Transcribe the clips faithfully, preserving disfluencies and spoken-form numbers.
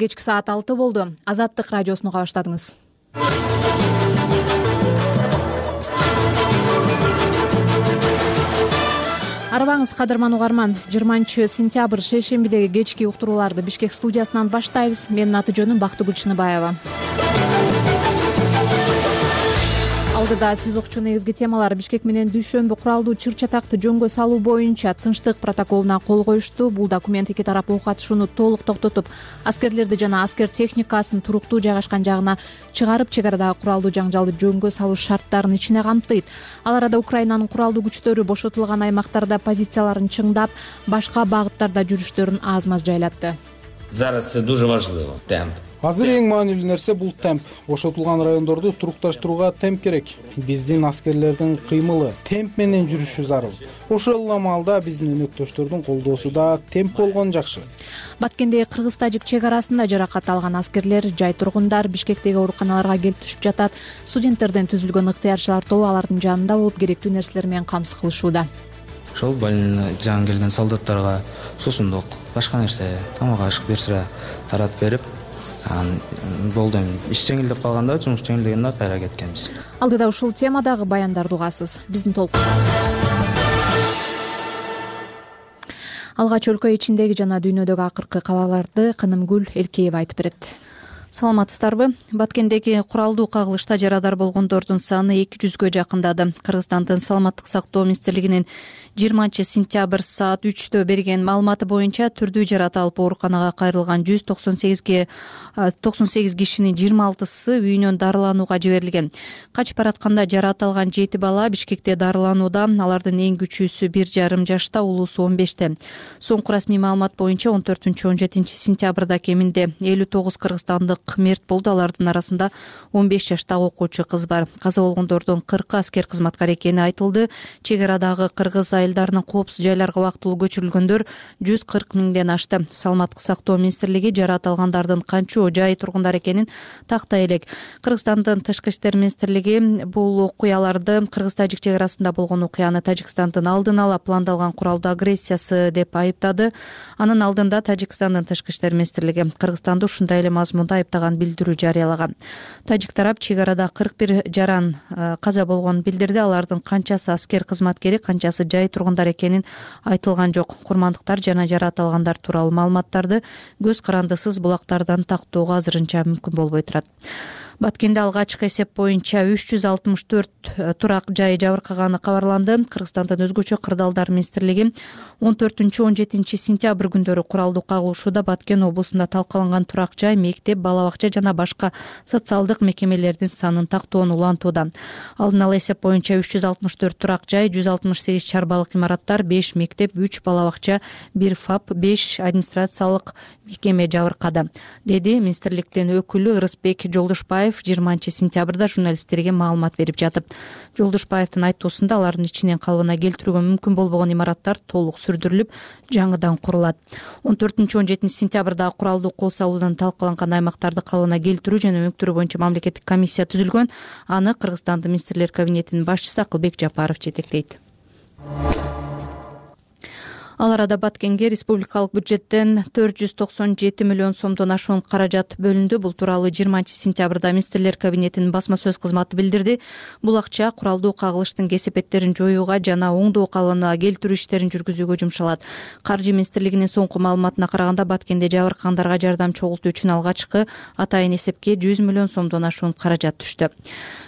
Кечки саат алты болду. Азаттык радиосуну уга баштадыңыз. Арабаңыз кадырман угарман. жыйырманчы сентябрь шейшембидеги кечки уктурууларды Бишкек студиясынан баштайбыз. Менин аты жөнүм Бактыгүл Чыныбаева. Алдыда сиз укчу негизги темалар: Бишкек менен Дүйшөмбү куралдуу чыр-чатакты жөнгө салуу боюнча тынчтык протоколуна кол коюшту. Бул документ эки тарап ок атышууну толук токтотуп, аскерлерди жана аскер техникасын туруктуу жайгашкан жагына чыгарып, чек арадагы куралдуу жаңжалды жөнгө салуу шарттарын ичине камтыйт. Ал арада Украинанын куралдуу күчтөрү бошотулган аймактарда позицияларын чыңдап, башка багыттарда жүрүштөрүн аз-маз жайлатты. Зараз це дуже важливо. Темп. Азыр эң маанилүү нерсе бул темп. Бошотулган райондорду турукташтырууга темп керек. Биздин аскерлердин кыймылы, темп менен жүрүшү зарыл. Ошол эле маалда биздин өнөктөштөрдүн колдоосу да темп болгон жакшы. Баткендеги кыргыз-тажик чек арасында жаракат алган аскерлер, жай тургундар Бишкектеги ооруканаларга келип түшүп жатат. Студенттерден түзүлгөн ыктыярчылар тобу алардын жанында болуп, керектүү нерселер менен камсыз кылышууда. Ошол больный жаңы келген солдаттарга суусундук, башка нерсе, тамак ашык берсе таратып берип, болду. Иш жеңилдеп калганда жумуш жеңилдегенде кайра кеткенбиз. Алдыда ушул темадагы баяндарды угасыз. Биздин толкун. Алгач өлкө ичиндеги жана дүйнөдөгү акыркы кабарларды Кынымгүл Элкеева айтып берет. Саламатсыздарбы? Баткендеги куралдуу кагылышта жарадар болгондордун саны эки жүзгө жакындады. Кыргызстандын саламаттык сактоо министрлигинин жыйырманчы сентябрь саат үчтө берген маалыматы боюнча түрдүү жарата алып ооруканага кайрылган жүз токсон сегизге токсон сегиз кишинин жыйырма алтысы үйүнөн дарыланууга жиберилген. Качып баратканда жарат алган жети бала Бишкекте дарыланууда. Алардын эң күчүүсү бир жарым жашта, улуусу он беште. Соңку расмий маалымат боюнча он төртүнчү он жетинчи сентябрда кеминде элүү тогуз кыргызстандык мерт болду. Алардын арасында он беш жаштагы окуучу кыз бар. Каза болгондордун кыркы аскер кызматкар экени айтылды. Чек арадагы кыргыз айылдарынын коопсуз жайларга убактылуу көчүрүлгөндөр жүз кырк миңден ашты. Саламаттык сактоо министрлиги жарат алгандардын канчоо жай тургундар экенин тактай элек. Кыргызстандын тышкы иштер министрлиги бул окуяларды кыргыз-тажик чек арасында болгон окуяны Тажикстандын алдын ала пландалган куралдуу агрессиясы деп айыптады. Анын алдында Тажикстандын тышкы иштер министрлиги Кыргызстанды ушундай эле мазмунда айыптаган билдирүү жарыялаган. Тажик тарап чек арада кырк бир жаран каза болгонун билдирди. Алардын канчасы аскер кызматкери, канчасы жай тургундар экенин айтылган жок. Курмандыктар жана жарат алгандар тууралуу маалыматтарды көз карандысыз булактардан тактоого азырынча мүмкүн болбой турат. Баткенде алгачкы эсеп боюнча үч жүз алтымыш төрт турак жай жабыркаганы кабарланды. Кыргызстандын өзгөчө кырдаалдар министрлиги он төртүнчү он жетинчи сентябрь күндөрү куралдуу кагылышууда Баткен облусунда талкаланган турак жай, мектеп, бала бакча жана башка социалдык мекемелердин санын тактоону улантууда. Алдын ала эсеп боюнча үч жүз алтымыш төрт турак жай, жүз алтымыш сегиз чарбалык имараттар, беш мектеп, үч бала бакча, бир ФАП, беш администрациялык мекеме жабыркады, деди министрликтин өкүлү Ырысбек Жолдошбаев жыйырманчы сентябрда журналисттерге маалымат берип жатып. Жолдошбаевдин айтуусунда алардын ичинен калыбына келтирүүгө мүмкүн болбогон имараттар толук сүрдүрүлүп, жаңыдан курулат. он төртүнчү он жетинчи сентябрда куралдуу кол салуудан талкаланган аймактарды калыбына келтирүү жана өнүктүрүү боюнча мамлекеттик комиссия түзүлгөн. Аны Кыргызстандын министрлер кабинетинин башчысы Акылбек Жапаров жетектейт. Ал арада Баткенге республикалык бюджеттен төрт жүз токсон жети миллион сомдон ашуун каражат бөлүндү. Бул тууралуу жыйырманчы сентябрда министрлер кабинетинин басма сөз кызматы билдирди. Бул акча куралдуу кагылыштын кесепеттерин жоюуга жана оңдоо калыбына келтирүү иштерин жүргүзүүгө жумшалат. Каржы министрлигинин соңку маалыматына караганда Баткенде жабыркагандарга жардам чогултуу үчүн алгачкы атайын эсепке жүз миллион сомдон ашуун каражат түштү.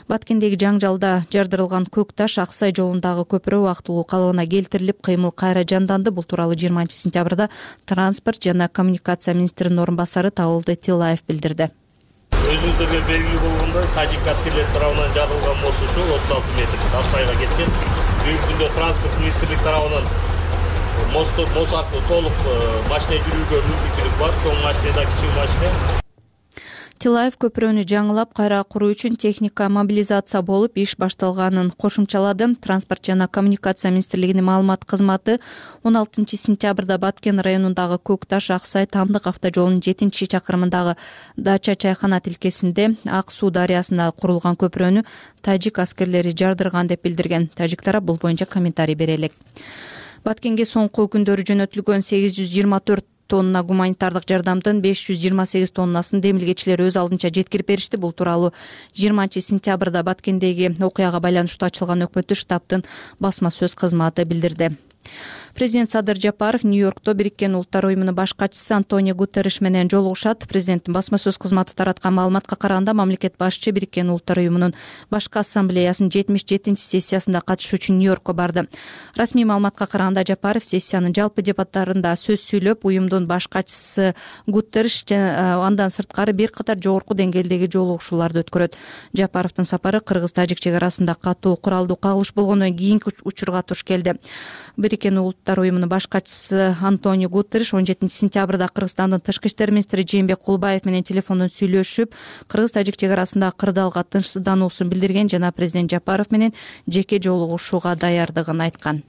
Баткендеги жаңжалда жардырылган көк таш Аксай жолундагы көпүрө убактылуу калыбына келтирилип, кыймыл кайра жанданды. Бул тууралуу жыйырманчы сентябрда транспорт жана коммуникация министринин орун басары Табылды Тилаев билдирди. Өзүңүздөргө белгилүү болгондой, тажик аскерлери тарабынан жабылган мост ушул отуз алты метр Аксайга кеткен. Бүгүнкү күндө транспорт министрлиги тарабынан мост мост аркылуу толук машина жүрүүгө мүмкүнчүлүк бар, чоң машина да, кичи машина. Тилаев көпүрөнү жаңылап кайра куруу үчүн техника мобилизация болуп иш башталганын кошумчалады. Транспорт жана коммуникация министрлигинин маалымат кызматы он алтынчы сентябрда Баткен районундагы Көк таш Аксай Тамдык автожолунун жетинчи чакырымындагы Дача чайкана тилкесинде Ак суу дарыясына курулган көпүрөнү тажик аскерлери жардырган деп билдирген. Тажик тарап бул боюнча комментарий бере элек. Баткенге соңку күндөрү жөнөтүлгөн сегиз жүз жыйырма төрт тонна гуманитардык жардамдын беш жүз жыйырма сегиз тоннасын демилгечилер өз алдынча жеткирип беришти. Бул тууралуу жыйырманчы сентябрда Баткендеги окуяга байланыштуу ачылган өкмөттүк штабтын басма сөз кызматы билдирди. Президент Садыр Жапаров Нью-Йоркто Бириккен Улуттар уюмунун баш катчысы Антонио Гутерриш менен жолугушат. Президенттин басма сөз кызматы тараткан маалыматка караганда, мамлекет башчы Бириккен Улуттар уюмунун башкы ассамблеясынын жетимиш жетинчи сессиясында катышуу үчүн Нью-Йоркко барды. Расмий маалыматка караганда, Жапаров сессиянын жалпы дебаттарында сөз сүйлөп, уюмдун баш катчысы Гутерриш андан сырткары бир катар жогорку деңгээлдеги жолугушууларды өткөрөт. Жапаровдун сапары Кыргыз-Тажик чек арасында катуу куралдуу кагылыш болгондон кийинки учурга туш келди. Бириккен Улуттар уюмунун баш катчысы Антонио Гутерриш он жетинчи сентябрда Кыргызстандын тышкы иштер министри Жээнбек Кулбаев менен телефондон сүйлөшүп, Кыргыз-Тажик чек арасында кырдаалга тынчсыздануусун билдирген жана президент Жапаров менен жеке жолугушууга даярдыгын айткан.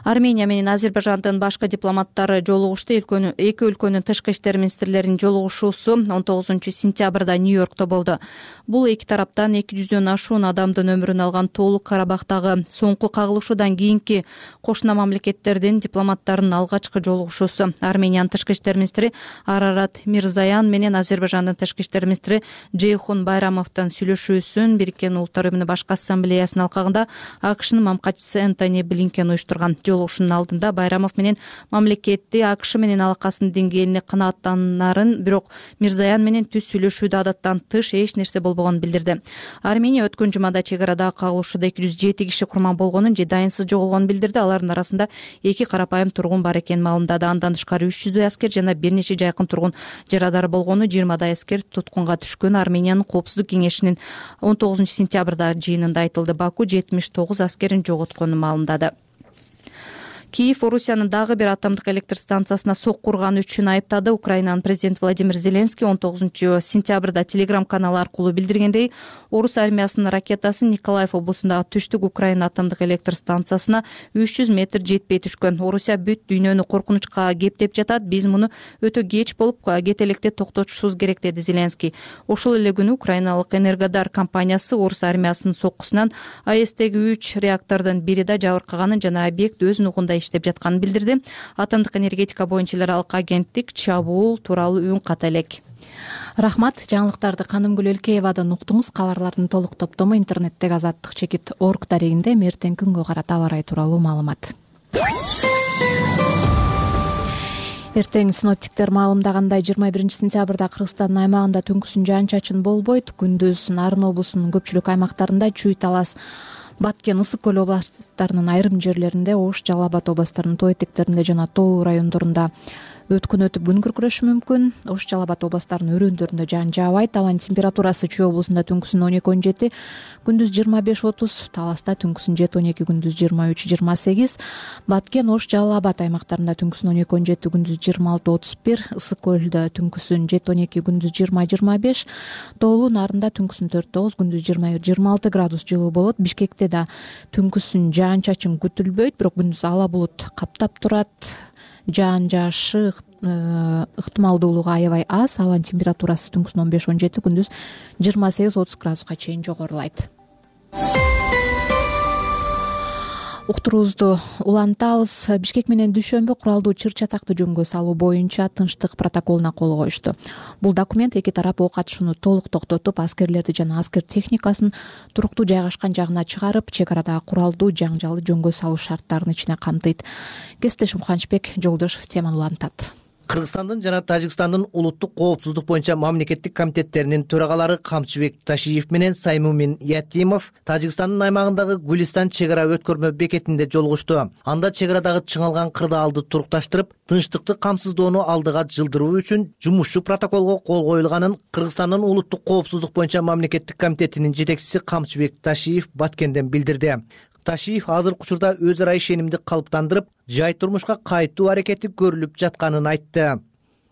Армения менен Азербайжандын башкы дипломаттары жолугушту. Эки өлкөнүн тышкы иштер министрлеринин жолугушуусу он тогузунчу сентябрда Нью-Йоркто болду. Бул эки тараптан эки жүздөн ашуун адамдын өмүрүн алган Тоолук Карабактагы соңку кагылышуудан кийинки кошуна мамлекеттердин дипломаттарынын алгачкы жолугушуусу. Армениянын тышкы иштер министри Арарат Мирзаян менен Азербайжандын тышкы иштер министри Джейхун Байрамовдун сүйлөшүүсүн Бириккен Улуттар уюмунун башкы ассамблеясынын алкагында АКШнын мамкатчысы Энтони Блинкен уюштурган. Жолугушуунун алдында Байрамов менен мамлекетти АКШ менен алакасынын деңгээлине канааттанарын, бирок Мирзаян менен түз сүйлөшүүдө адаттан тыш эч нерсе болбогонун билдирди. Армения өткөн жумада чек арадагы кагылышууда эки жүз жети киши курман болгонун же дайынсыз жоголгонун билдирди. Алардын арасында эки карапайым тургун бар экенин маалымдады. Андан тышкары үч жүздөй аскер жана бир нече жайкын тургун жарадар болгону, жыйырмадай аскер туткунга түшкөн. Армениянын Коопсуздук кеңешинин он тогузунчу сентябрда жыйынында айтылды. Баку жетимиш тогуз аскерин жоготконун маалымдады. Киев Орусиянын дагы бир атомдук электр станциясына сок курганы үчүн айыптады. Украинанын президенти Владимир Зеленский он тогузунчу сентябрда телеграм каналы аркылуу билдиргендей, Орус армиясынын ракетасы Николаев облусундагы түштүк Украина атомдук электр станциясына үч жүз метр жетпей түшкөн. Орусия бүт дүйнөнү коркунучка кептеп жатат. Биз муну өтө кеч болуп кете электе токтотушубуз керек, деди Зеленский. Ошол эле күнү украиналык Энергодар компаниясы Орус армиясынын соккусунан АЭСтеги үч реактордун бири да жабыркаганын жана объект өз нугунда иштеп жатканын билдирди. Атомдук энергетика боюнча эл аралык агенттик чабуул тууралуу үн ката элек. Рахмат. Жаңылыктарды Канымгүл Элкеевадан уктуңуз. Кабарлардын толук топтому интернеттеги азаттык чекит орг дарегинде эртең күнгө карата аба ырайы тууралуу маалымат. Эртең синоптиктер маалымдагандай жыйырма биринчи сентябрда Кыргызстандын аймагында түнкүсүн жаан-чачын болбойт. Күндүз Нарын облусунун көпчүлүк аймактарында Чүй, Талас, Баткен, Ысык көл областарынын айрым жерлеринде, Ош, Жалал Абад областарынын тоо этектеринде жана тоо райондорунда өткүн өтүп күн күркүрөшү мүмкүн. Ош, Жалал Абад областарынын өрөөндөрүндө жаан жаабайт. Абанын температурасы Чүй облусунда түнкүсүн он эки он жети, күндүз жыйырма беш отуз, Таласта түнкүсүн жети он эки, күндүз жыйырма үч жыйырма сегиз, Баткен, Ош, Жалал Абад аймактарында түнкүсүн он эки он жети, күндүз жыйырма алты отуз бир, Ысык көлдө түнкүсүн жети он эки, күндүз жыйырма жыйырма беш, Тоолуу Нарында түнкүсүн төрт тогуз, күндүз жыйырма жыйырма алты градус жылуу болот. Бишкекте да түнкүсүн жаан-чачын күтүлбөйт, бирок күндүз ала булут каптап турат. Жаан жаашы ыктымалдуулугу аябай аз. Абанын температурасы түнкүсүн он беш он жети, күндүз жыйырма сегиз отуз градуска чейин жогорулайт. Уктуруубузду улантабыз. Бишкек менен Дүйшөмбү куралдуу чыр-чатакты жөнгө салуу боюнча тынчтык протоколуна кол коюшту. Бул документ эки тарап ок атышууну толук токтотуп, аскерлерди жана аскер техникасын туруктуу жайгашкан жагына чыгарып, чек арадагы куралдуу жаңжалды жөнгө салуу шарттарын ичине камтыйт. Кесиптешим Кубанычбек Жолдошов теманы улантат. Кыргызстандын жана Тажикстандын улуттук коопсуздук боюнча мамлекеттик комитеттеринин төрагалары Камчыбек Ташиев менен Саймумин Ятимов Тажикстандын аймагындагы Гулистан чек ара өткөрмө бекетинде жолугушту. Анда чек арадагы чыңалган кырдаалды турукташтырып, тынчтыкты камсыздоону алдыга жылдыруу үчүн жумушчу протоколго кол коюлганын Кыргызстандын улуттук коопсуздук боюнча мамлекеттик комитетинин жетекчиси Камчыбек Ташиев Баткенден билдирди. Ташиев азыркы учурда өз ара ишенимди калыптандырып, жай турмушка кайтуу аракети көрүлүп жатканын айтты.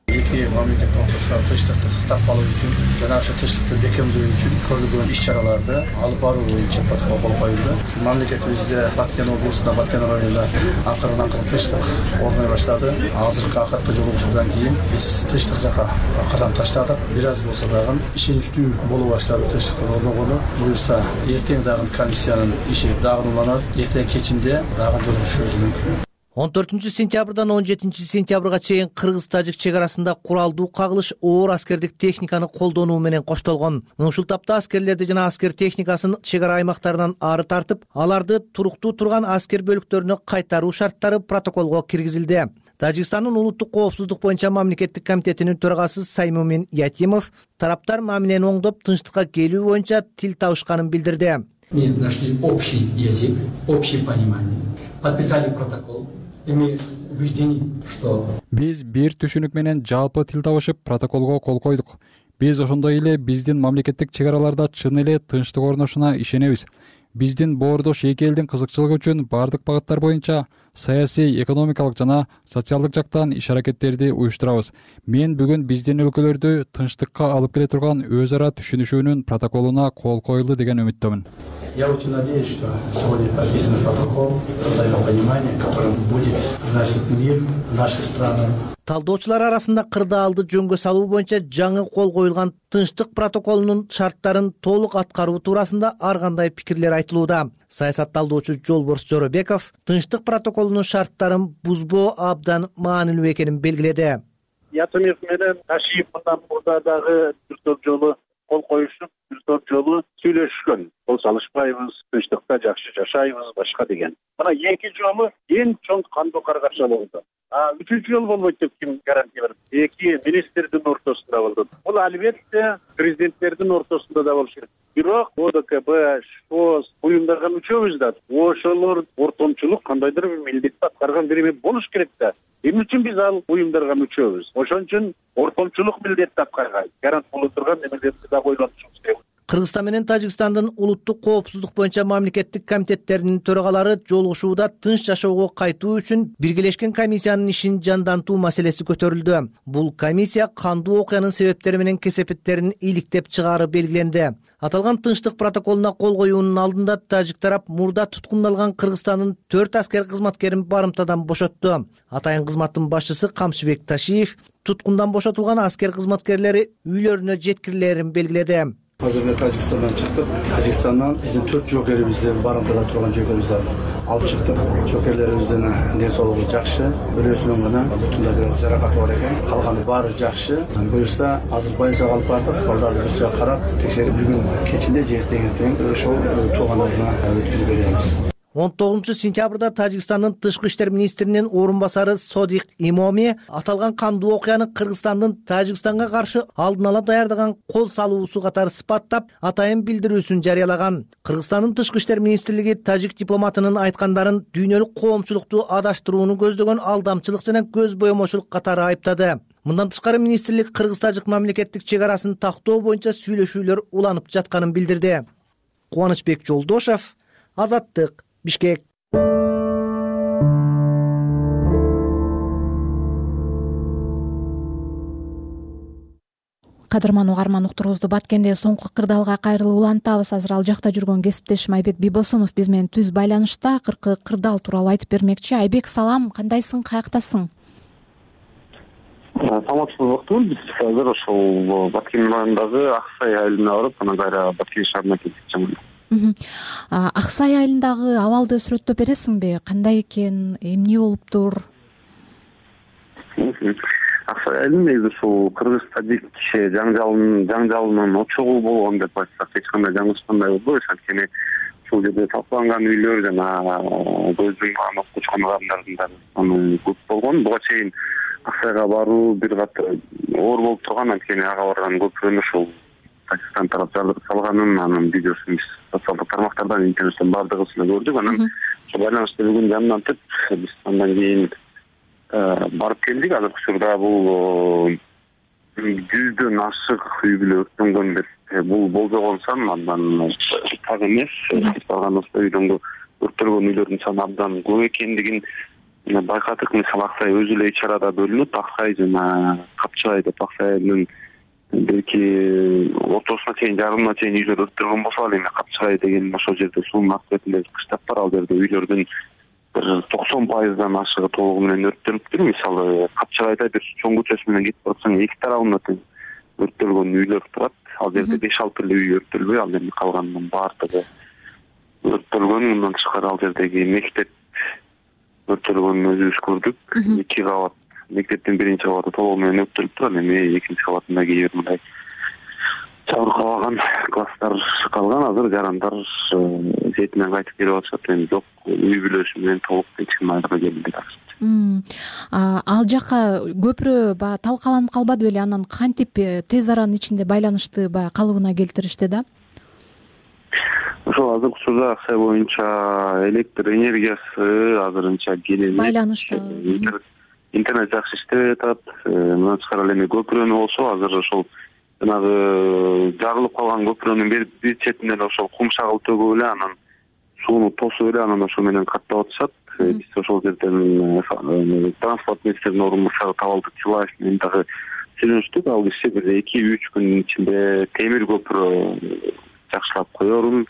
Эки мамлекет ортосундагы тынчтыкты сактап калуу үчүн жана ошо тынчтыкты бекемдөө үчүн көрүлгөн иш-чараларды алып баруу боюнча протокол кол коюлду. Мамлекетибизде Баткен облусунда, Баткен районунда акырын акырын тынчтык орной баштады. Азыркы акыркы жолугушуудан кийин биз тынчтык жака кадам таштадык. Бир аз болсо дагы ишеничтүү боло баштады тынчтыктын орногону. Буюрса эртең дагы комиссиянын иши дагы уланат. Эртең кечинде дагы жолугушуубуз мүмкүн. он төртүнчү сентябрдан он жетинчи сентябрга чейин кыргыз-тажик чек арасында куралдуу кагылыш оор аскердик техниканы колдонуу менен коштолгон. Ушул тапта аскерлерди жана аскер техникасын чек ара аймактарынан ары тартып, аларды туруктуу турган аскер бөлүктөрүнө кайтаруу шарттары протоколго киргизилди. Тажикстандын улуттук коопсуздук боюнча мамлекеттик комитетинин төрагасы Саймумин Ятимов тараптар мамилени оңдоп, тынчтыкка келүү боюнча тил табышканын билдирди. Мы нашли общий язык, общее понимание, подписали протокол. Биз бир түшүнүк менен жалпы тил табышып, протоколго кол койдук. Биз ошондой эле биздин мамлекеттик чек араларда чын эле тынчтык орношуна ишенебиз. Биздин боордош эки элдин кызыкчылыгы үчүн бардык багыттар боюнча саясий, экономикалык жана социалдык жактан иш-аракеттерди уюштурабыз. Мен бүгүн биздин өлкөлөрдү тынчтыкка алып келе турган өз ара түшүнүшүүнүн протоколуна кол коюлду деген үмүттөмүн. Я очень надеюсь, что сегодня подписан протокол взаимопонимания, которым будет вносить мир в наши страны. Талдоочулар арасында кырдаалды жөнгө салуу боюнча жаңы кол коюлган тынчтык протоколунун шарттарын толук аткаруу туурасында ар кандай пикирлер айтылууда. Саясат талдоочу Жолборс Жоробеков тынчтык протоколунун шарттарын бузбоо абдан маанилүү экенин белгиледи. Ятимов менен Ташиев мындан мурда дагы бир топ жолу кол коюшуп, бир топ жолу сүйлөшкөн. Кол салышпайбыз, тынчтыкта жакшы жашайбыз, башка деген. Мына эки жолу эң чоң кандуу каргашма болду. А үчүнчү жол болбойт деп ким гарантия берет? Эки министрдин ортосунда болду. Бул албетте президенттердин ортосунда да болуш керек. Бирок ОДКБ, ШОС уюмдарга мүчөбүз да. Ошолор ортомчулук кандайдыр бир милдетти аткарган бир эме болуш керек да. Эмне үчүн биз ал уюмдарга мүчөбүз? Ошон үчүн ортомчулук милдетти аткарган, гарант боло турган немелерди да ойлонушубуз керек. Кыргызстан менен Тажикстандын улуттук коопсуздук боюнча мамлекеттик комитеттеринин төрагалары жолугушууда тынч жашоого кайтуу үчүн биргелешкен комиссиянын ишин жандантуу маселеси көтөрүлдү. Бул комиссия кандуу окуянын себептери менен кесепеттерин иликтеп чыгаары белгиленди. Аталган тынчтык протоколуна кол коюунун алдында тажик тарап мурда туткундалган Кыргызстандын төрт аскер кызматкерин барымтадан бошотту. Атайын кызматтын башчысы Камчыбек Ташиев туткундан бошотулган аскер кызматкерлери үйлөрүнө жеткирилерин белгиледи. Азыр Тажикстандан чыктык. Тажикстандан биздин төрт жокерибизди барымтада турган жокерибизди алып чыктык. Жокерлерибиздин ден соолугу жакшы. Бирөөсүнүн гана бутунда бир жаракаты бар экен. Калганы баары жакшы. Буюрса азыр больницага алып бардык. Балдарды бирсиге карап, текшерип бүгүн кечинде же эртең ошол туугандарына өткүзүп беребиз. он тогузунчу сентябрда Тажикстандын тышкы иштер министринин орун басары Содик Имоми аталган кандуу окуяны Кыргызстандын Тажикстанга каршы алдын ала даярдаган кол салуусу катары сыпаттап, атайын билдирүүсүн жарыялаган. Кыргызстандын тышкы иштер министрлиги тажик дипломатынын айткандарын дүйнөлүк коомчулукту адаштырууну көздөгөн алдамчылык жана көз боемочулук катары айыптады. Мындан тышкары министрлик кыргыз-тажик мамлекеттик чек арасын тактоо боюнча сүйлөшүүлөр уланып жатканын билдирди. Кубанычбек Жолдошов, Азаттык, Бишкек. Кадырман угарман уктуруубузду Баткенде соңку кырдаалга кайрылып улантабыз. Азыр ал жакта жүргөн кесиптешим Айбек Бибосунов биз менен түз байланышта. Акыркы кырдаал тууралуу айтып бермекчи. Айбек, салам, кандайсың, каяктасың? Саламатсызбы, уктум. Биз азыр ошол Баткен районундагы Аксай айылына барып, анан кайра Баткен шаарына келдик. Аксай айылындагы абалды сүрөттөп бересиңби? Кандай экен, эмне болуптур? Аксай айылы негизи ушул кыргыз-тажик жаңжалынын жаңжалынын очогу болгон деп айтсак эч кандай жаңылышкандай болбойбуз. Анткени ушул жерде талкаланган үйлөр жана көздүн аны окуучу адамдардын саны көп болгон. Буга чейин Аксайга баруу бир кат оор болуп турган, анткени ага барган көпүрөнү ушул Пакистан тарап жардырып салганын анын видеосун биз социалдык тармактардан, интернеттен баардыгыбыз көрдүк. Анан ошол байланышта бүгүн жамнантып, биз андан кийин барып келдик. Азыркы учурда бул жүздөн ашык үй бүлө өрттөнгөн деп бул болжогон сан, андан так эмес. Барганыбызда үйдөн өрттөлгөн үйлөрдүн саны абдан көп экендигин байкадык. Мисалы Аксай өзү эле үч арада бөлүнүп, Аксай жана Капчыбай деп Аксайдын белки ортосуна чейин, жарымына чейин үйлөр өрттөлгөн болсо, ал эми Капчыбай деген ошол жерде суунун ак бетинде кыштап бар. Ал жерде үйлөрдүн токсон пайыздан ашыгы толугу менен өрттөлүптүр. Мисалы Капчыбайда бир чоң көчөсү менен кетип барсаң, эки тарабында өрттөлгөн үйлөр турат. Ал жерде беш алты эле үй өрттөлбөй, ал эми калганынын баардыгы өрттөлгөн. Мындан тышкары ал жердеги мектеп өрттөлгөнүн өзүбүз көрдүк. Эки кабат мектептин биринчи кабаты толугу менен өрттөлүп турат, эми экинчи кабатында кээ бир мындай жабыркабаган класстар калган. Азыр жарандар сетинен кайтып келип атышат. Эми жок, үй бүлөсү менен толук эч ким айрылып келди. Ал жака көпүрө баягы талкаланып калбады беле? Анан кантип тез аранын ичинде байланышты баягы калыбына келтиришти да? Ошол азыркы учурда Аксай боюнча электр энергиясы азырынча келе байланышта интернет жакшы иштеп атат. Мындан тышкары эми көпүрөнү болсо азыр ошол жанагы жарылып калган көпүрөнүн бир четинен ошол кум шагыл төгүп эле анан сууну тосуп эле анан ошо менен каттап атышат. Биз ошол жерден транспорт министринин орун басары Табалдык Чылаев менен дагы сүйлөштүк. Ал киши бир эки үч күндүн ичинде темир көпүрө жакшылап коерун,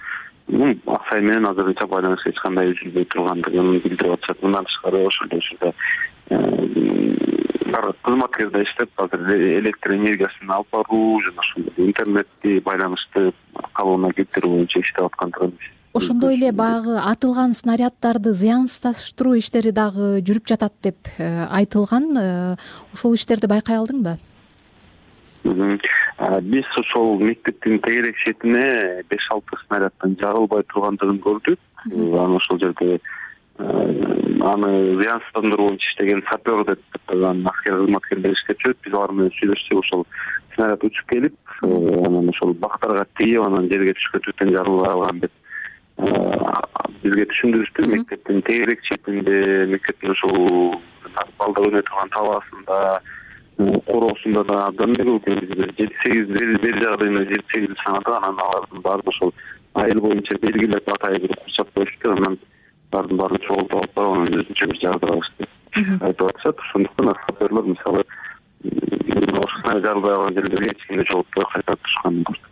Аксай менен азырынча байланыш эч кандай үзүлбөй тургандыгын билдирип атышат. Мындан тышкары ошол жерде ар кызматкерде иштеп азыр электр энергиясын алып баруу жана ошол интернетти байланышты калыбына келтирүү боюнча иштеп аткандыгын. Ошондой эле баягы атылган снаряддарды зыянсыздаштыруу иштери дагы жүрүп жатат деп айтылган. Ошол иштерди байкай алдыңбы? Биз ошол мектептин тегерек четине беш алты снаряддын жарылбай тургандыгын көрдүк. Анан ошол жерде аны зыянсыздандыруу боюнча иштеген сапер деп аталган аскер кызматкерлер иштеп жүрөт. Биз алар менен сүйлөшсөк, ошол снаряд учуп келип, анан ошол бактарга тиеп, анан жерге түшкөндүктөн жарылбай калган деп бизге түшүндүрүштү. Мектептин тегерек четинде, мектептин ошол балдар өнө турган табасында, короосунда да абдан көп жети сегиз бери жагдайында жети сегиз санады. Анан алардын баары ошол айыл боюнча белгилеп атайын бир курчап коюшту. Анан баардын баарын чогултуп алып барып анан өзүнчө бир жагдырабыз деп айтып атышат. Ошондуктан саперлер мисалы ошо жарылбай калган жерлерге эч кимди жолутпой кайтарып турушканын көрдүк.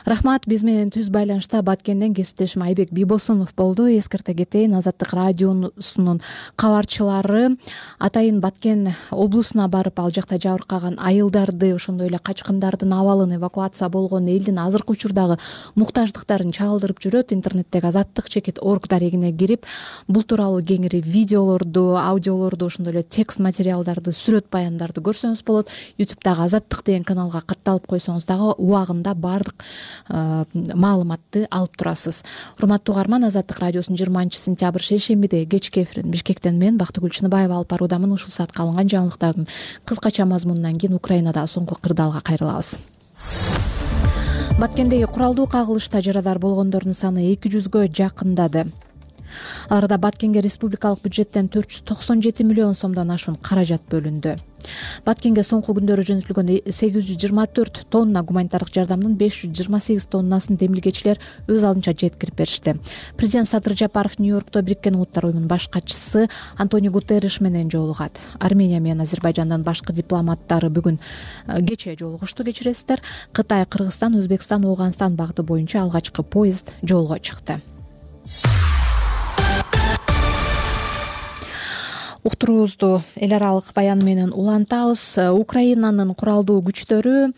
Рахмат. Биз менен түз байланышта Баткенден кесиптешим Айбек Бийбосунов болду. Эскерте кетейин, Азаттык радиосунун кабарчылары атайын Баткен облусуна барып, ал жакта жабыркаган айылдарды, ошондой эле качкындардын абалын, эвакуация болгон элдин азыркы учурдагы муктаждыктарын чагылдырып жүрөт. Интернеттеги азаттык чекит орг дарегине кирип, бул тууралуу кеңири видеолорду, аудиолорду, ошондой эле текст материалдарды, сүрөт баяндарды көрсөңүз болот. ютубтагы Азаттык деген каналга катталып койсоңуз дагы убагында баардык маалыматты алып турасыз. Урматтуу угарман, Азаттык радиосунун жыйырманчы сентябрь шейшембиде кечки эфирин Бишкектен мен Бактыгүл Чыныбаева алып баруудамын. Ушул саатка алынган жаңылыктардын кыскача мазмунунан кийин Украинада соңку кырдаалга кайрылабыз. Баткендеги куралдуу кагылышта жарадар болгондордун саны эки жүзгө жакындады. Аларда Баткенге республикалык бюджеттен төрт жүз токсон жети миллион сомдон ашуун каражат бөлүндү. Баткенге соңку күндөрү жөнөтүлгөн сегиз жүз жыйырма төрт тонна гуманитардык жардамдын беш жүз жыйырма сегиз тоннасын демилгечилер өз алдынча жеткирип беришти. Президент Садыр Жапаров Нью-Йоркто Бириккен Улуттар уюмунун баш катчысы Антонио Гутерриш менен жолугат. Армения менен Азербайжандын башкы дипломаттары бүгүн кечээ жолугушту, кечиресиздер. Кытай, Кыргызстан, Өзбекстан, Ооганстан багыты боюнча алгачкы поезд жолго чыкты. Уктуруубузду эл аралык баян менен улантабыз. Украинанын куралдуу күчтөрү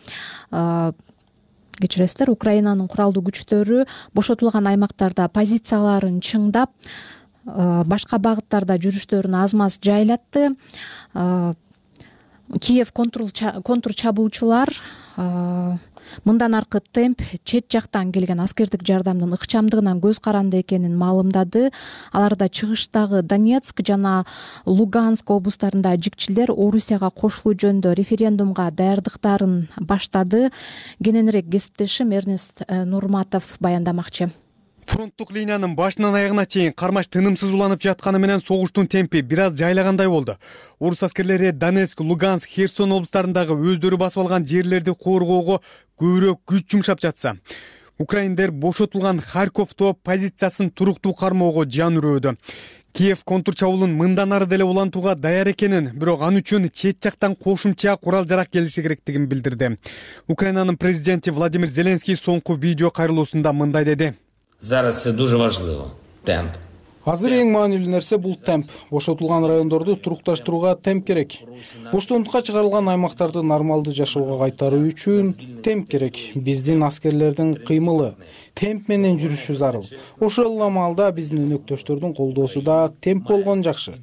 кечиресиздер, Украинанын куралдуу күчтөрү бошотулган аймактарда позицияларын чыңдап, башка багыттарда жүрүштөрүн аз-маз жайлатты. Киев контур чабуучулар мындан аркы темп чет жактан келген аскердик жардамдын ыкчамдыгынан көз каранды экенин маалымдады. Аларда чыгыштагы Донецк жана Луганск облустарында жикчилер Орусияга кошулуу жөнүндө референдумга даярдыктарын баштады. Кененирээк кесиптешим Эрнест Нурматов баяндамакчы. Фронттук линиянын башынан аягына чейин кармаш тынымсыз уланып жатканы менен согуштун темпи бир аз жайлагандай болду. Орус аскерлери Донецк, Луганск, Херсон облустарындагы өздөрү басып алган жерлерди коргоого көбүрөөк күч жумшап жатса, украиндер бошотулган Харьковдо позициясын туруктуу кармоого жан үрөөдү. Киев контур чабуулун мындан ары деле улантууга даяр экенин, бирок ал үчүн чет жактан кошумча курал жарак келиши керектигин билдирди. Украинанын президенти Владимир Зеленский соңку видео кайрылуусунда мындай деди. Зараз це дуже важливо. Темп. Азыр эң маанилүү нерсе бул темп. Бошотулган райондорду турукташтырууга темп керек. Боштондукка чыгарылган аймактарды нормалдуу жашоого кайтаруу үчүн темп керек. Биздин аскерлердин кыймылы, темп менен жүрүшү зарыл. Ошол эле маалда биздин өнөктөштөрдүн колдоосу да темп болгон жакшы.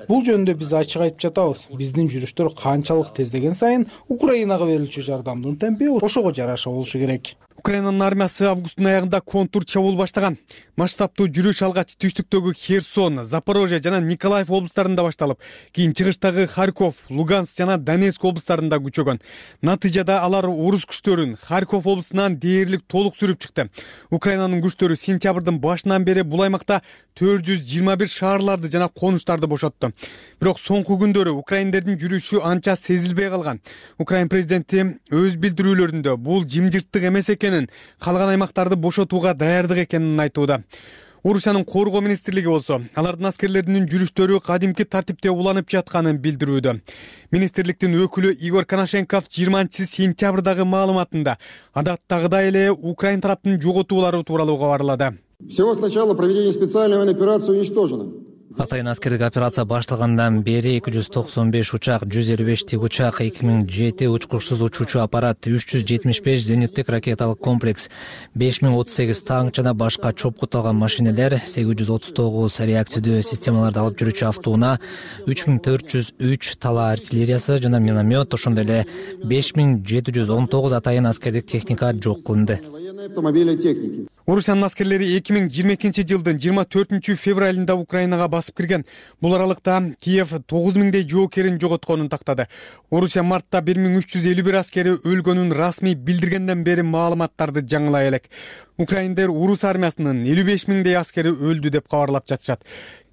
Бул жөнүндө биз ачык айтып жатабыз. Биздин жүрүштөр канчалык тездеген сайын Украинага берилчү жардамдын темпи ошого жараша болушу керек. Украинанын армиясы августтун аягында контур чабуул баштаган. Масштабтуу жүрүш алгач түштүктөгү Херсон, Запорожье жана Николаев облустарында башталып, кийин чыгыштагы Харьков, Луганск жана Донецк облустарында күчөгөн. Натыйжада алар орус күчтөрүн Харьков облусунан дээрлик толук сүрүп чыкты. Украинанын күчтөрү сентябрдын башынан бери бул аймакта төрт жүз жыйырма бир шаарларды жана конуштарды бошотту. Бирок соңку күндөрү украиндердин жүрүшү анча сезилбей калган. Украин президенти өз билдирүүлөрүндө бул жымжырттык эмес экенин, калган аймактарды бошотууга даярдык экенин айтууда. Орусиянын коргоо министрлиги болсо, алардын аскерлеринин жүрүштөрү кадимки тартипте уланып жатканын билдирүүдө. Министрликтин өкүлү Игорь Коношенков жыйырманчы сентябрдагы маалыматында адаттагыдай эле Украин тараптын жоготуулары тууралуу кабарлады. Всего с начала проведения специальной военной операции уничтожено. Атайын аскердик операция башталгандан бери эки жүз токсон беш учак, жүз элүү беш тик учак, эки миң жети учкучсуз учуучу аппарат, үч жүз жетимиш беш зениттик ракеталык комплекс, беш миң отуз сегиз танк жана башка чопкуталган машинелер, сегиз жүз отуз тогуз реакциядуу системаларды алып жүрүүчү автоунаа, үч миң төрт жүз үч тала артиллериясы жана миномет, ошондой эле беш миң жети жүз он тогуз атайын аскердик техника жок кылынды. Орусиянын аскерлери эки миң жыйырма экинчи жылдын жыйырма төртүнчү февралында Украинага басып кирген. Бул аралыкта Киев тогуз миңдей жоокерин жоготконун тактады. Орусия мартта бир миң үч жүз элүү бир аскери өлгөнүн расмий билдиргенден бери маалыматтарды жаңылай элек. Украиндер орус армиясынын элүү беш миңдей аскери өлдү деп кабарлап жатышат.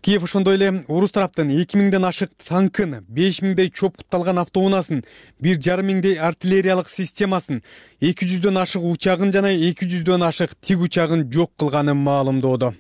Киев ошондой эле орус тараптын эки миңден ашык танкын, беш миңдей чопкутталган автоунаасын, бир жарым миңдей артиллериялык системасын, эки жүздөн ашык учагын жана эки жүздөн ашык тик учагын жок кылганын маалымдоодо.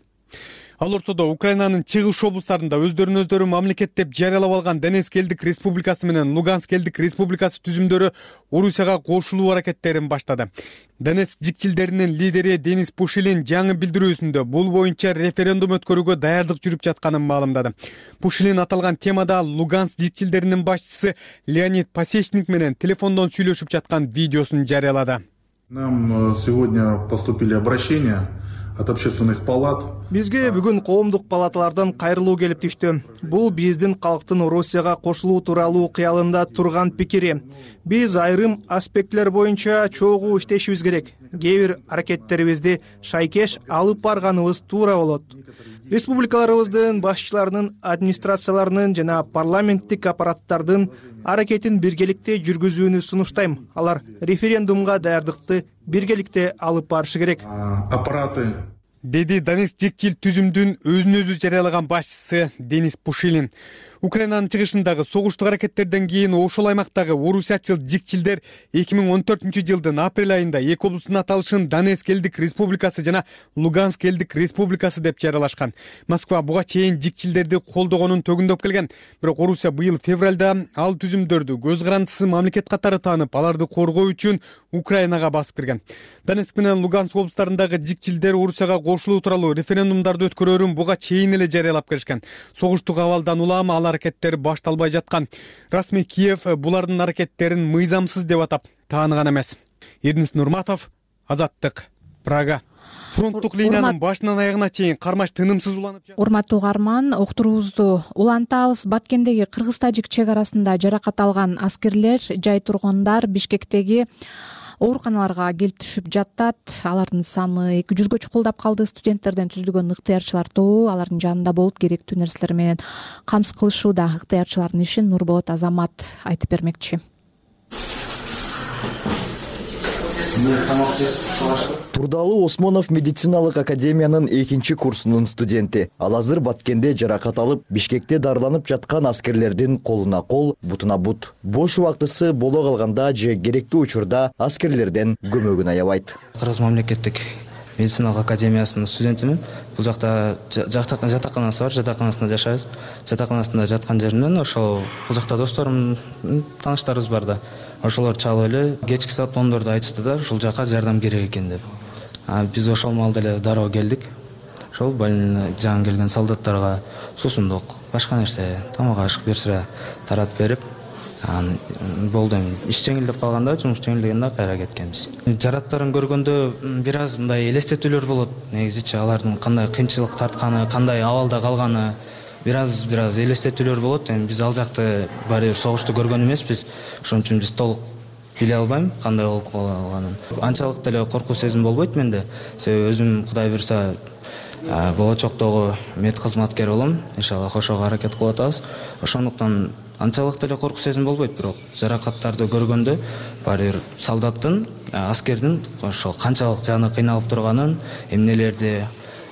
Ал ортодо Украинанын чыгыш облустарында өздөрүн өздөрү мамлекет деп жарыялап алган Донецк элдик республикасы менен Луганск элдик республикасы түзүмдөрү Орусияга кошулуу аракеттерин баштады. Донецк жикчилдеринин лидери Денис Пушилин жаңы билдирүүсүндө бул боюнча референдум өткөрүүгө даярдык жүрүп жатканын маалымдады. Пушилин аталган темада Луганск жикчилдеринин башчысы Леонид Пасечник менен телефондон сүйлөшүп жаткан видеосун жарыялады. Нам сегодня поступили обращения от общественных палат. Бизге бүгүн коомдук палаталардан кайрылуу келип түштү. Бул биздин калктын Орусияга кошулуу тууралуу кыялында турган пикири. Биз айрым аспекттер боюнча чогуу иштешибиз керек. Кээ бир аракеттерибизди шайкеш алып барганыбыз туура болот. Республикаларыбыздын башчыларынын, администрацияларынын жана парламенттик аппараттардын аракетин биргеликте жүргүзүүнү сунуштайм. Алар референдумга даярдыкты биргеликте алып барышы керек. Аппараты деди Донецк жикчил түзүмдүн өзүн өзү жарыялаган башчысы Денис Пушилин. Украинанын чыгышындагы согуштук аракеттерден кийин ошол аймактагы орусиячыл жикчилдер эки миң он төртүнчү жылдын апрель айында эки облустун аталышын Донецк элдик республикасы жана Луганск элдик республикасы деп жарыялашкан. Москва буга чейин жикчилдерди колдогонун төгүндөп келген. Бирок Орусия быйыл февралда ал түзүмдөрдү көз карандысыз мамлекет катары таанып, аларды коргоо үчүн Украинага басып кирген. Донецк менен Луганск облустарындагы жикчилдер Орусияга кошулуу тууралуу референдумдарды өткөрөөрүн буга чейин эле жарыялап келишкен. Согуштук абалдан улам ал аракеттер башталбай жаткан. Расмий Киев булардын аракеттерин мыйзамсыз деп атап тааныган эмес. Эрдинис Нурматов, Азаттык, Прага. Фронттук линиянын башынан аягына чейин кармаш тынымсыз уланып жатты. Урматтуу угарман, уктуруубузду улантабыз. Баткендеги кыргыз-тажик чек арасында жаракат алган аскерлер, жай тургундар Бишкектеги ооруканаларга келип түшүп жатат. Алардын саны эки жүзгө чукулдап калды. Студенттерден түзүлгөн ыктыярчылар тобу алардын жанында болуп керектүү нерселер менен камсыз кылышууда. Ыктыярчылардын ишин Нурболот Азамат айтып бермекчи. Турдалы Осмонов медициналык академиянын экинчи курсунун студенти. Ал азыр Баткенде жаракат алып, Бишкекте дарыланып жаткан аскерлердин колуна кол, бутуна бут. Бош убактысы боло калганда же керектүү учурда аскерлерден көмөгүн аябайт. Кыргыз мамлекеттик медициналык академиясынын студентимин. Бул жакта жатаканасы бар, жатаканасында жашайбыз. Жатаканасында жаткан жеринен ошол бул жакта досторум, тааныштарыбыз бар да. Ошолор чалып эле кечки саат ондордо айтышты да, ушул жака жардам керек экен деп. Биз ошол маалда эле дароо келдик. ошол жаңы келген солдаттарга суусундук, башка нерсе, тамак ашык бир сыра таратып берип, анан болду. Эми иш жеңилдеп калганда жумуш жеңилдегенде кайра кеткенбиз. Жараттарын көргөндө бир аз мындай элестетүүлөр болот. Негизичи алардын кандай кыйынчылык тартканы, кандай абалда калганы бир аз бир аз элестетүүлөр болот. Эми биз ал жакты баары бир согушту көргөн эмеспиз. Ошон үчүн биз толук биле албайм кандай болуп калганын. Анчалык деле коркуу сезим болбойт менде. Себеби өзүм Кудай буйрса болочоктогу мед кызматкер болом. Иншалла ошого аракет кылып атабыз. Ошондуктан анчалык деле коркуу сезим болбойт, бирок жаракаттарды көргөндө баары бир солдаттын, аскердин ошол канчалык жаны кыйналып турганын, эмнелерди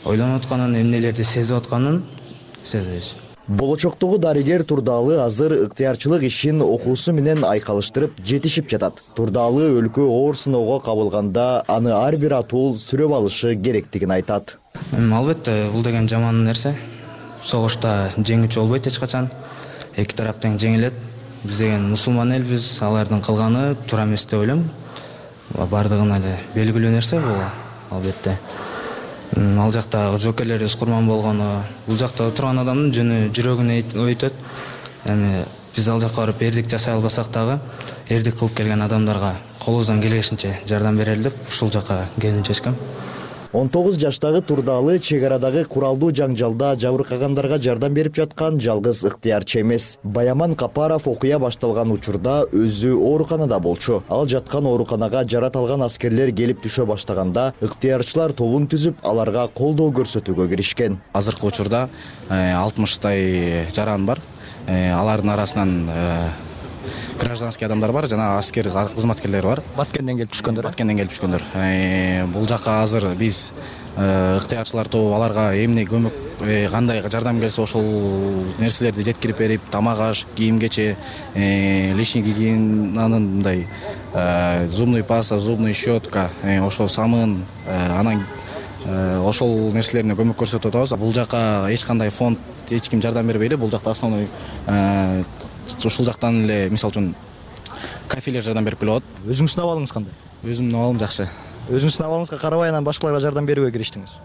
ойлонуп атканын, эмнелерди сезип атканын сезебиз. Болочоктогу дарыгер Турдаалы азыр ыктыярчылык ишин окуусу менен айкалыштырып жетишип жатат. Турдаалы өлкө оор сыноого кабылганда аны ар бир атуул сүрөп алышы керектигин айтат. Албетте, бул деген жаман нерсе. Согушта жеңүүчү болбойт эч качан. Эки тарап тең жеңилет. Биз деген мусулман элбиз, алардын кылганы туура эмес деп ойлойм. Бардыгына эле белгилүү нерсе бул, албетте. Ал жакта жоокерлерибиз курман болгону, бул жакта турган адамдын жөнү жүрөгүнө өйтөт. Эми биз ал жакка барып эрдик жасай албасак дагы, эрдик кылып келген адамдарга колубуздан келишинче жардам берели деп ушул жакка келип чечкем. он тогуз жаштагы Турдаалы чек арадагы куралдуу жаңжалда жабыркагандарга жардам берип жаткан жалгыз ыктыярчы эмес. Баяман Капаров окуя башталган учурда өзү ооруканада болчу. Ал жаткан ооруканага жарат алган аскерлер келип түшө баштаганда ыктыярчылар тобун түзүп, аларга колдоо көрсөтүүгө киришкен. Азыркы учурда алтымыштай жаран бар. Алардын арасынан гражданский адамдар бар, жана аскер кызматкерлер бар. Баткенден келип түшкөндөр. Баткенден келип түшкөндөр. Бул жакка азыр биз ыктыярчылар тобу аларга эмне көмөк, кандай жардам келсе ошол нерселерди жеткирип берип, тамак аш, кийим-кече, лишний гигиенанын мындай зубный паста, зубный щетка, ошол самын, анан ошол нерселерине көмөк көрсөтүп атабыз. Бул жака эч кандай фонд, эч ким жардам бербейт. Бул жакта основной ушул жактан эле, мисалы үчүн, кафелер жардам берип келип атат. Өзүңүздүн абалыңыз кандай? Өзүмдүн абалым жакшы. Өзүңүздүн абалыңызга карабай анан башкаларга жардам берүүгө кириштиңиз.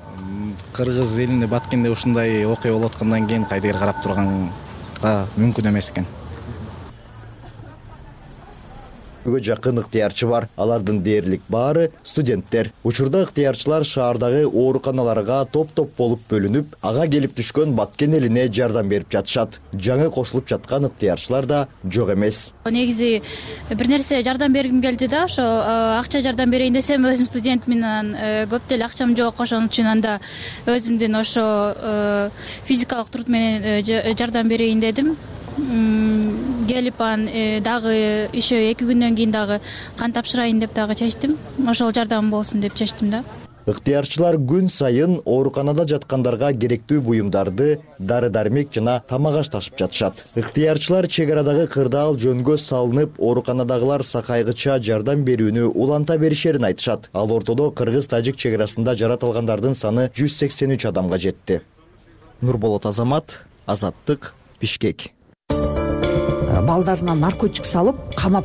Кыргыз элинде, Баткенде ушундай окуя болуп аткандан кийин кайдыгер карап турганга мүмкүн эмес экен. Бүгө жакын ыктыярчы бар. Алардын дээрлик баары студенттер. Учурда ыктыярчылар шаардагы ооруканаларга топ-топ болуп бөлүнүп, ага келип түшкөн Баткен элине жардам берип жатышат. Жаңы кошулуп жаткан ыктыярчылар да жок эмес. Негизи бир нерсе жардам бергим келди да, ошо акча жардам берейин десем, өзүм студентмин, анан көп деле акчам жок, ошон үчүн анда өзүмдүн ошо физикалык труд менен жардам берейин дедим. Келип анан дагы еще эки күндөн кийин дагы кан тапшырайын деп дагы чечтим. Ошол жардам болсун деп чечтим да. Ыктыярчылар күн сайын ооруканада жаткандарга керектүү буюмдарды, дары-дармек жана тамак аш ташып жатышат. Ыктыярчылар чек арадагы кырдаал жөнгө салынып, ооруканадагылар сакайгыча жардам берүүнү уланта беришерин айтышат. Ал ортодо Кыргыз-Тажик чек арасында жарат алгандардын саны жүз сексен үч адамга жетти. Нурболот Азамат, Азаттык, Бишкек. Балдарына наркотик салып, камап,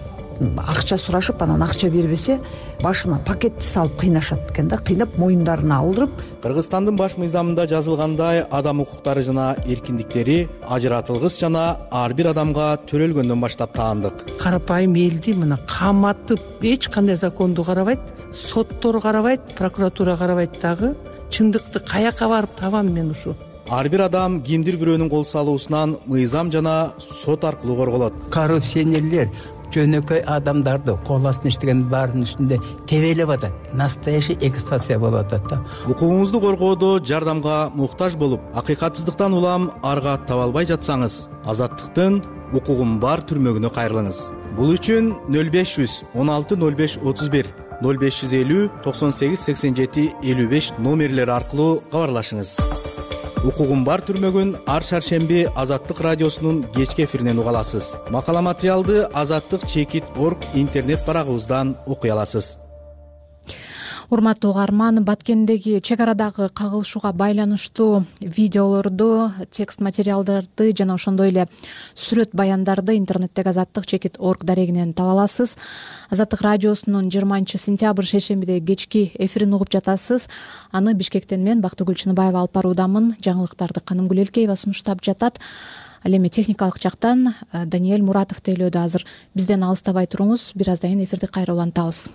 акча сурашып, анан акча бербесе, башына пакетти салып кыйнашат экен да, кыйнап моюндарына алдырып. Кыргызстандын баш мыйзамында жазылгандай, адам укуктары жана эркиндиктери ажыратылгыс жана ар бир адамга төрөлгөндөн баштап таандык. Карапайым элди мына каматып, эч кандай законду карабайт, соттор карабайт, прокуратура карабайт дагы. Чындыкты каяка барып табам мен ушу? Ар бир адам кимдир бирөөнүн кол салуусунан мыйзам жана сот аркылуу корголот. Коррупционерлер жөнөкөй адамдарды кол астына иштеген баарынын үстүндө тебелеп атат. Настоящий эксплуатация болуп атат да. Укугуңузду коргоодо жардамга муктаж болуп, акыйкатсыздыктан улам арга таба албай жатсаңыз, Азаттыктын укугум бар түрмөгүнө кайрылыңыз. Бул үчүн нөл беш жүз он алты нөл беш отуз бир, нөл беш жүз элүү токсон сегиз сексен жети элүү беш номерлери аркылуу кабарлашыңыз. Укугум бар түрмөгүн ар шаршемби Азаттык радиосунун кечки эфиринен уга аласыз. Макала материалды азаттык чекит точка орг интернет барагыбыздан окуй аласыз. урматтуу угарман, Баткендеги чек арадагы кагылышууга байланыштуу видеолорду, текст материалдарды жана ошондой эле сүрөт баяндарды интернеттеги азаттык чекит точка орг дарегинен таба аласыз. Азаттык радиосунун жыйырманчы сентябрь шейшембидеги кечки эфирин угуп жатасыз. Аны Бишкектен мен Бактыгүл Чыныбаева алып баруудамын. Жаңылыктарды Канымгүл Элкеева сунуштап жатат. Ал эми техникалык жактан Даниэль Муратов тейлөөдө азыр. Бизден алыстабай туруңуз. Бир аздан кийин эфирди кайра улантабыз.